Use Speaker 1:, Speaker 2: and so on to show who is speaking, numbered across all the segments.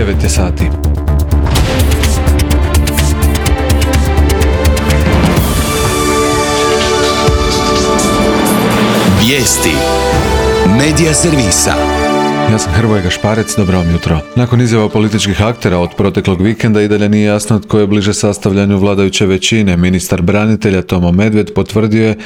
Speaker 1: 9 je sati.
Speaker 2: Vijesti Medija servisa.
Speaker 1: Ja sam Hrvoje Gašparec, dobro vam jutro. Nakon izjava političkih aktera od proteklog vikenda i dalje nije jasno tko je bliže sastavljanju vladajuće većine. Ministar branitelja Tomo Medved potvrdio je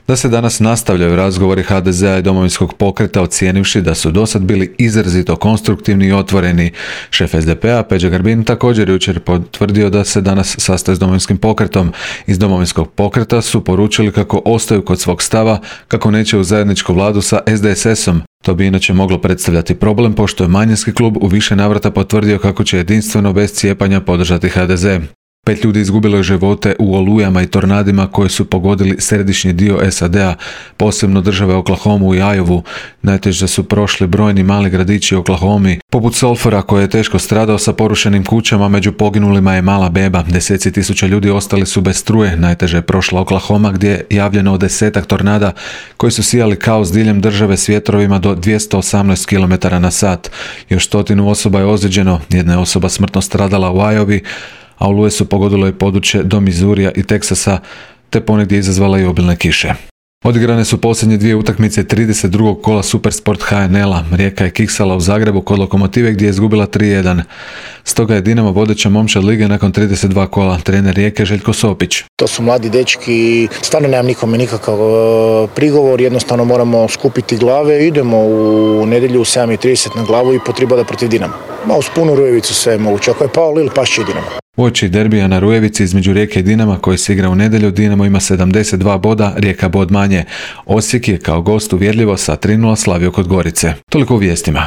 Speaker 1: da se danas nastavljaju razgovori HDZ-a i Domovinskog pokreta, ocijenivši da su dosad bili izrazito konstruktivni i otvoreni. Šef SDP-a Peđa Grbin također jučer potvrdio da se danas sastaje s Domovinskim pokretom. Iz Domovinskog pokreta su poručili kako ostaju kod svog stava, kako neće u zajedničku vladu sa SDSS-om. To bi inače moglo predstavljati problem, pošto je manjinski klub u više navrata potvrdio kako će jedinstveno bez cijepanja podržati HDZ. 5 ljudi izgubilo je živote u olujama i tornadima koje su pogodili središnji dio SAD-a, posebno države Oklahomu i Iowu. Najteže su prošli brojni mali gradići u Oklahomi, poput Sulphura koji je teško stradao sa porušenim kućama, među poginulima je mala beba. Deseci tisuća ljudi ostali su bez struje. Najteže je prošla Oklahoma gdje je javljeno 10 tornada koji su sijali kaos diljem države s vjetrovima do 218 km/h. Još 100 osoba je ozlijeđeno, jedna je osoba smrtno stradala u Iowi, a oluje su pogodilo i područje do Mizurija i Teksasa, te ponegdje izazvala i obilne kiše. Odigrane su posljednje 2 utakmice 32. kola Supersport HNL-a. Rijeka je kiksala u Zagrebu kod Lokomotive gdje je izgubila 3:1. Stoga je Dinamo vodeća momčad lige nakon 32 kola. Trener Rijeke Željko Sopić.
Speaker 3: To su mladi dečki, stvarno nemam nikome nikakav prigovor, jednostavno moramo skupiti glave, idemo u nedjelju u 7:30 na glavu i potribada protiv Dinama. Ma uz punu Rujevicu sve je moguće, ako je pao Lil, pašće i Dinamo.
Speaker 1: Uoči derbija na Rujevici između Rijeke i Dinama koji se igra u nedjelju, Dinamo ima 72 boda, Rijeka bod manje. Osijek je kao gost uvjerljivo sa 3:0 slavio kod Gorice. Toliko u vijestima.